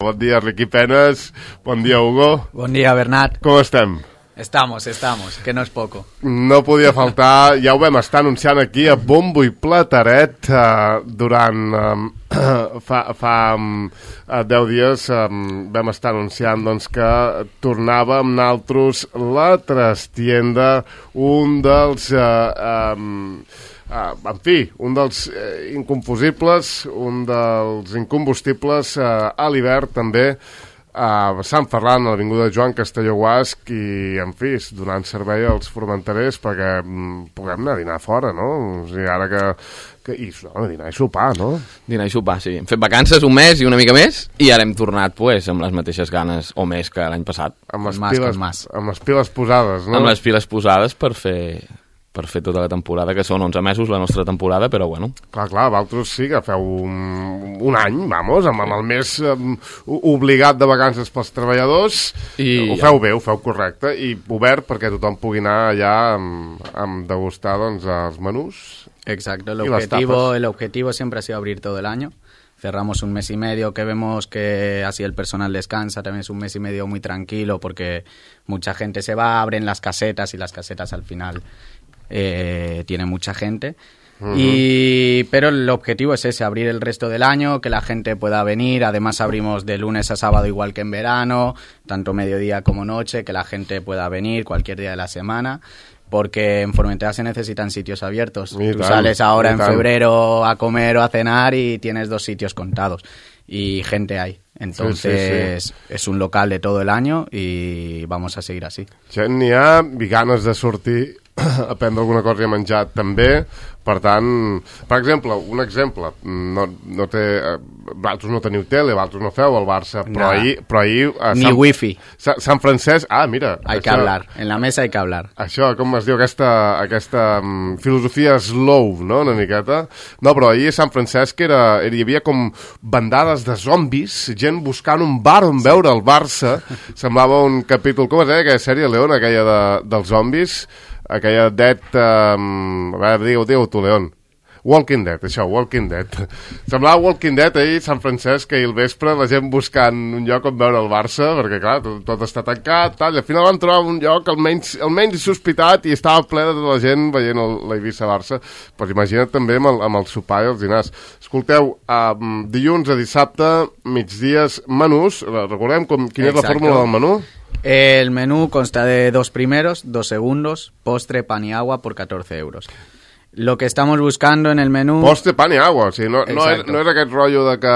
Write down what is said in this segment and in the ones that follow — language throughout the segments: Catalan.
Bon dia, Riqui Penes. Bon dia, Hugo. Bon dia, Bernat. Com estem? Estamos, que no és poco. No podia faltar, ja ho vam estar anunciant aquí a bombo i plateret durant fa 10 dies vam estar anunciant doncs, que tornava amb naltros la Trastienda, un dels en fi, un dels inconfusibles, un dels incombustibles a l'hivern també, a Sant Ferran, a l'avinguda Joan Castelló Guasc, i en fi, donant servei als formenterers perquè puguem anar a dinar fora, no? O sigui, ara dinar i sopar, no? Dinar i sopar, sí. Hem fet vacances un mes i una mica més i ara hem tornat pues, amb les mateixes ganes o més que l'any passat. Amb les piles posades, no? Amb les piles posades per fer tota la temporada, que són 11 mesos la nostra temporada, però bueno. Clar, vosaltres sí que feu un any, vamos, amb el més obligat de vacances pels treballadors, ho feu bé, ho feu correcte, i obert perquè tothom pugui anar allà amb degustar doncs, els menús. Exacto, el objetivo siempre ha sido abrir todo el año. Cerramos un mes y medio que vemos que así el personal descansa, también es un mes y medio muy tranquilo porque mucha gente se va, abren las casetas y las casetas al final tiene mucha gente. Pero el objetivo es ese, abrir el resto del año, que la gente pueda venir. Además abrimos de lunes a sábado igual que en verano, tanto mediodía como noche, que la gente pueda venir cualquier día de la semana, porque en Formentera se necesitan sitios abiertos. Tú sales ahora en febrero a comer o a cenar y tienes 2 sitios contados y gente hay. Entonces sí. És un local de todo el año y vamos a seguir así. Gent n'hi ha, i ganes de sortir a prendre alguna cosa i a menjar també. Per tant, per exemple, un exemple, no té, vosaltres no teniu tele, vosaltres no feu el Barça, però ahir ni wifi. Sant Francesc, mira. Hay que hablar, en la mesa hay que hablar. Això, com es diu, aquesta filosofia slow, no?, una miqueta. No, però ahir a Sant Francesc hi havia com bandades de zombis, gent buscant un bar on veure el Barça. Semblava un capítol, com es deia aquella sèrie, León, aquella dels zombis, aquella Dead... a veure, digue-ho tu, León. Walking Dead, això, Walking Dead. Semblava Walking Dead ahir, Sant Francesc, ahir al vespre, la gent buscant un lloc on veure el Barça, perquè clar, tot està tancat, tal, i al final van trobar un lloc almenys insospitat i estava ple de tota la gent veient l'Eivissa-Barça. Pues imagina't també amb el sopar i els dinars. Escolteu, dilluns a dissabte, migdies, menús, recordem quina és la fórmula del menú? El menú consta de 2 primeros, 2 segundos, postre, pan y agua por 14 euros. Lo que estamos buscando en el menú... Postre, pan y agua, o sigui, no és aquest rotllo de que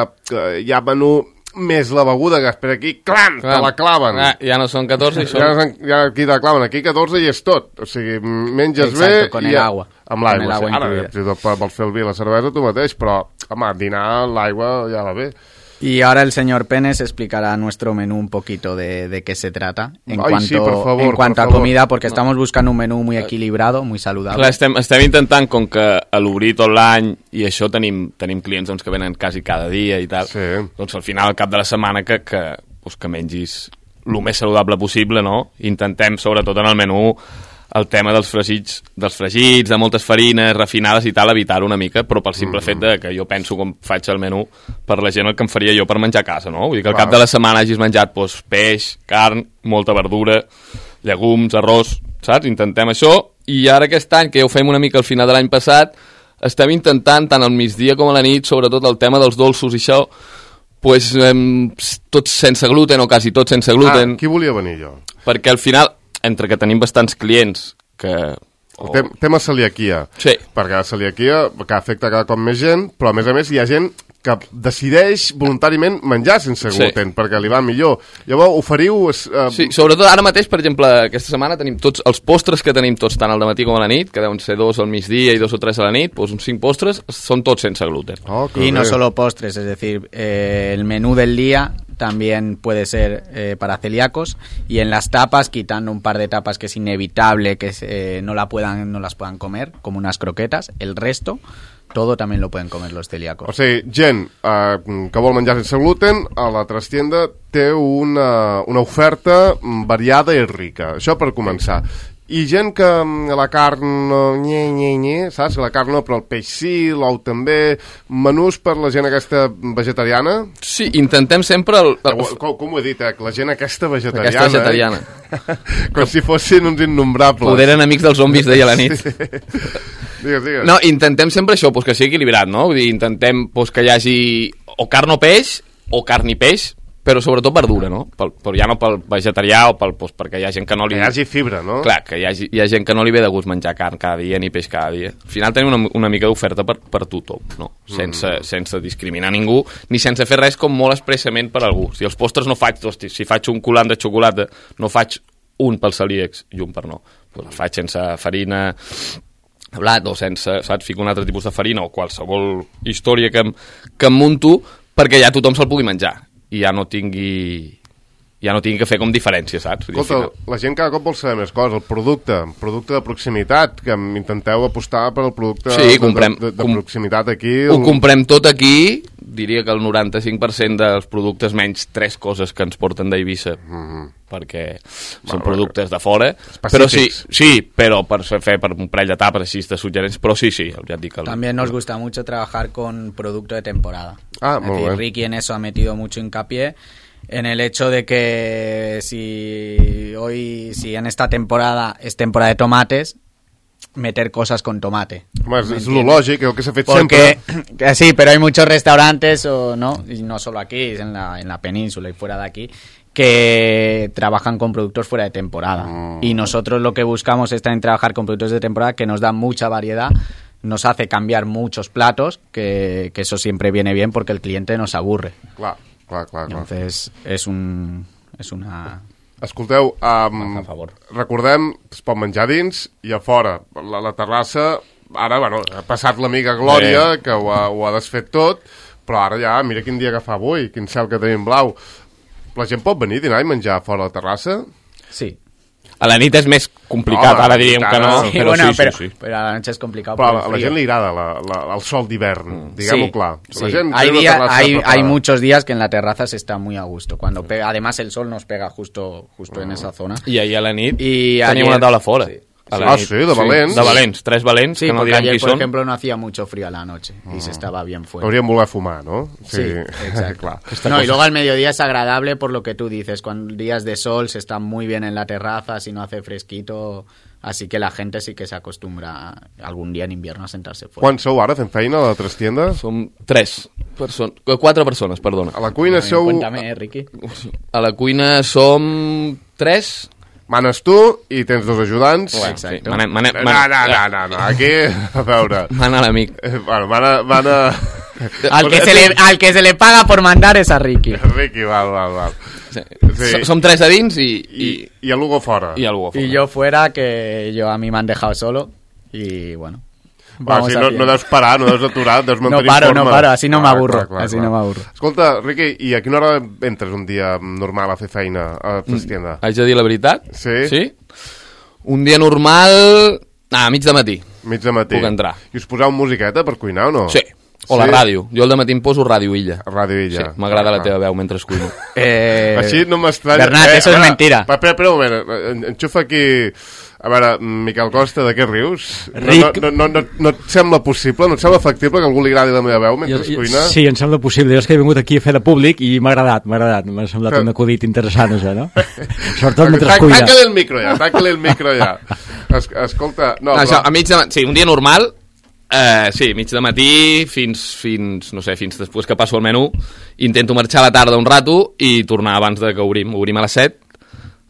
hi ha menú més la beguda que espera aquí, clam, te la claven. Ja no són 14 i són... Ja aquí te la claven, aquí 14 i és tot. O sigui, menges bé... Exacto, con el agua. Amb l'aigua, sí. Ara, vols fer el vi i la cervesa tu mateix, però, home, dinar, l'aigua ja va bé. Y ahora el señor Penes explicará nuestro menú un poquito de qué se trata en cuanto a comida, porque estamos buscando un menú muy equilibrado, muy saludable. Clar, estem intentant, com que a l'obrir tot l'any i això tenim clients doncs, que venen quasi cada dia i tal, doncs al final, al cap de la setmana, que mengis el més saludable possible, no? Intentem, sobretot en el menú, el tema dels fregits, de moltes farines refinades i tal, evitar-ho una mica, però pel simple fet de que jo penso com faig el menú per la gent el que em faria jo per menjar a casa, no? Vull dir que al cap de la setmana hagis menjat peix, carn, molta verdura, llegums, arròs, saps? Intentem això, i ara aquest any, que ja ho fem una mica al final de l'any passat, estem intentant, tant al migdia com a la nit, sobretot el tema dels dolços i això, pues, tots sense gluten o quasi tots sense gluten. Qui volia venir jo? Perquè al final, entre que tenim bastants clients que... El tema celiaquia. Sí. Perquè la celiaquia que afecta cada cop més gent, però a més hi ha gent que decideix voluntàriament menjar sense gluten, perquè li va millor. Llavors, oferiu... Sí, sobretot ara mateix, per exemple, aquesta setmana tenim tots els postres que tenim tots, tant al dematí com a la nit, que deuen ser 2 al migdia i 2 o 3 a la nit, doncs uns 5 postres són tots sense gluten. Y no solo postres, es decir, el menú del día también puede ser para celíacos, y en las tapas, quitando un par de tapas que es inevitable que no las puedan comer, como unas croquetas, el resto todo también lo pueden comer los celíacos. O sigui, gent que vol menjar sense gluten, a la Trastienda té una oferta variada i rica. Això per començar. I gent que la carn, saps? La carn no, però el peix sí, l'ou també. Menús per la gent aquesta vegetariana? Sí, intentem sempre... Com ho he dit, la gent aquesta vegetariana. Aquesta vegetariana. Com si fossin uns innombrables. Poder enemics dels zombis, deia la nit. Sí. Digues. No, intentem sempre això, pues, que sigui equilibrat, no? Vull dir, intentem pues, que hi hagi o carn o peix, o carn i peix, però sobretot verdura, no? Però ja no pel vegetarià o pues, perquè hi ha gent que no li... Que hi hagi fibra, no? Clar, que hi ha gent que no li ve de gust menjar carn cada dia ni peix cada dia. Al final tenim una mica d'oferta per tothom, no? Sense discriminar ningú, ni sense fer res com molt expressament per algú. Si els postres no faig, hosti, si faig un coulant de xocolata, no faig un pels celíacs i un per no. Pues el faig sense farina... blat o sense, saps, fico un altre tipus de farina o qualsevol història que em munto perquè ja tothom se'l pugui menjar i ja no tingui que fer com diferència, saps? Escolta, la gent cada cop vol saber més coses, el producte de proximitat, que intenteu apostar per el producte de proximitat aquí. Ho comprem tot aquí, diria que el 95% dels productes, menys 3 coses que ens porten d'Eivissa, perquè són productes de fora, però sí, però per fer per un parell d'etapes així de suggerents, però sí, ja et dic. También nos gusta mucho trabajar con producto de temporada. Muy bien. Ricky en eso ha metido mucho hincapié, en el hecho de que si en esta temporada es temporada de tomates, meter cosas con tomate. Es lo lógico, lo que se ha hecho siempre. Sí, pero hay muchos restaurantes, ¿no? Y no solo aquí, en la península y fuera de aquí, que trabajan con productos fuera de temporada. Y nosotros lo que buscamos es también trabajar con productos de temporada que nos dan mucha variedad, nos hace cambiar muchos platos, que eso siempre viene bien porque el cliente nos aburre. Clar. Entonces, es una... Escolteu, a favor. Recordem, es pot menjar dins i a fora. La terrassa, ara, ha passat l'amiga Glòria, que ho ha desfet tot, però ara ja, mira quin dia que fa avui, quin cel que tenim blau. La gent pot venir a dinar i menjar fora la terrassa? Sí. A la nit és més complicat, ara diríem que no, sí, però bueno, sí. Però a la noche és complicat. Però a la gent li agrada el sol d'hivern, diguem-ho clar. Sí. Hay muchos días que en la terraza se está muy a gusto. Cuando pega, además el sol nos pega justo en esa zona. I ahir a la nit tenim una taula fora. Sí. Sí, de valents. De valents, 3 valents, sí, que no direm qui són. són. Por ejemplo, no hacía mucho frío a la noche y se estaba bien fuera. Hauríem voler fumar, ¿no? Sí, exacto. Claro. Y luego al mediodía es agradable por lo que tú dices, cuando días de sol se está muy bien en la terraza, si no hace fresquito, así que la gente sí que se acostumbra algún día en invierno a sentarse fuera. Quants sou ara fent feina a la trastienda? Som 4 persones, perdona. A la cuina sou... Cuéntame, Riqui. A la cuina som 3. Manes tu i tens 2 ajudants. Exacte. No, aquí, a veure... Mana l'amic. Bueno, mana... Al que se le paga por mandar es a Ricky. Ricky, val. Sí. Som 3 a dins i el Hugo fora. Y yo fuera, que a mí me han dejado solo y bueno... Si no deus parar, no deus aturar, deus mantenir forma. No paro, así no m'aburro. Así no m'aburro. Escolta, Riqui, i a quina hora entres un dia normal a fer feina a la trastienda? Haig de dir la veritat? Sí? Un dia normal... a mig de matí. Mig de matí. Puc entrar. I us poseu musiqueta per cuinar o no? Sí. O la ràdio. Jo al dematí em poso Ràdio Illa. Ràdio Illa. Sí, m'agrada la teva veu mentre cuino. Així no m'estranya... Bernat, eso es mentira. Espera un moment, enxufa aquí... A veure, Miquel Costa, de què rius? No et sembla possible, no et sembla factible que a algú li agradi la meva veu mentre cuina? Sí, em sembla possible. Jo és que he vingut aquí a fer de públic i m'ha agradat. M'ha semblat un acudit interessant, això, no? Sobretot mentre cuina. Tanca-li el micro ja. Escolta... A mig de... Sí, un dia normal, sí, mig de matí fins després que passo el menú. Intento marxar a la tarda un rato i tornar abans de que obrim. Obrim a les 7,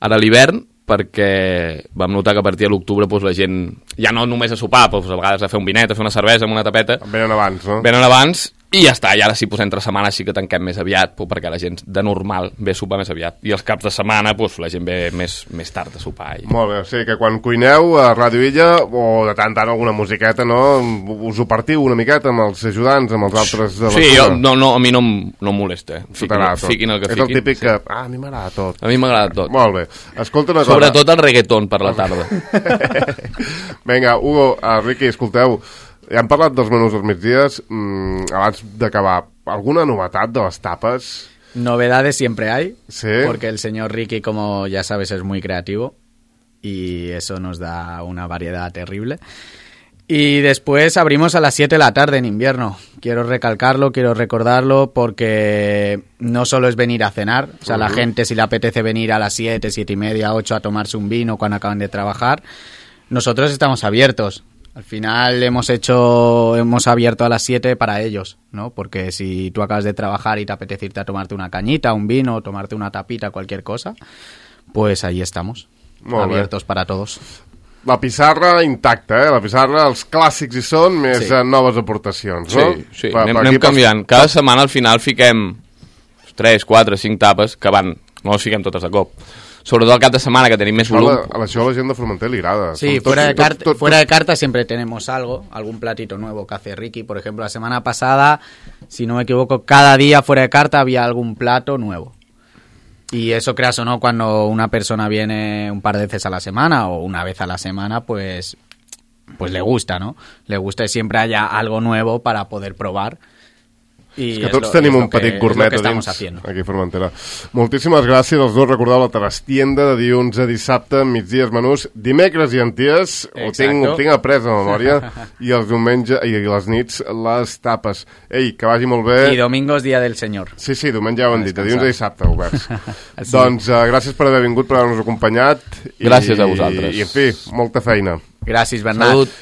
ara a l'hivern, perquè vam notar que a partir de l'octubre la gent ja no només a sopar, a vegades a fer un vinet, a fer una cervesa amb una tapeta, venen abans, no? Venen abans i ja està, i ara sí, entre setmanes sí que tanquem més aviat, perquè la gent de normal ve a sopar més aviat, i els caps de setmana la gent ve més tard a sopar. Molt bé, o sigui que quan cuineu a Ràdio Illa, o de tant alguna musiqueta, no? Us ho partiu una miqueta amb els ajudants, amb els altres de la Sí, a mi no em molesta. Fiquin el que fiquin. És el típic que... a mi m'agrada tot. A mi m'agrada tot. Molt bé. Escolta una cosa. Sobretot el reggaeton per la tarda. Vinga, Hugo, Riqui, escolteu, ja hem parlat dels menús dels migdies, abans d'acabar, alguna novetat de les tapes? Novedades siempre hay, ¿sí? Porque el señor Ricky, como ya sabes, es muy creativo y eso nos da una variedad terrible. Y después abrimos a las 7 de la tarde en invierno. Quiero recalcarlo, quiero recordarlo, porque no solo es venir a cenar. O sea, la gente, si le apetece venir a las 7, 7 y media, 8 a tomarse un vino cuando acaban de trabajar, nosotros estamos abiertos. Al final hemos abierto a las 7 para ellos, ¿no? Porque si tú acabas de trabajar y te apetece irte a tomarte una cañita, un vino, tomarte una tapita, cualquier cosa, pues ahí estamos, abiertos para todos. La pissarra intacta, La pissarra, els clàssics hi són, més noves aportacions, no? Sí. Anem canviant. Cada setmana al final fiquem 3, 4, 5 tapes que no les fiquem totes de cop. Sobretot el cap de semana, que tenim més volum. A la gent de Formentera li agrada. Sí, fuera de carta siempre tenemos algún platito nuevo que hace Ricky. Por ejemplo, la semana pasada, si no me equivoco, cada día fuera de carta había algún plato nuevo. Y eso, creas o no, cuando una persona viene un par de veces a la semana o una vez a la semana, pues le gusta, ¿no? Le gusta que siempre haya algo nuevo para poder probar. És que tots tenim un petit gourmet a dins, aquí a Formentera. Moltíssimes gràcies als dos. Recordeu la trastienda de dilluns a dissabte, migdies menús, dimecres i anties, ho tinc après a memòria, i els diumenge i les nits les tapes. Ei, que vagi molt bé. I domingos, dia del senyor. Sí, diumenge ja ho hem dit, de dilluns a dissabte oberts. Doncs gràcies per haver vingut, per haver-nos acompanyat. Gràcies a vosaltres. I en fi, molta feina. Gràcies, Bernat. Salut.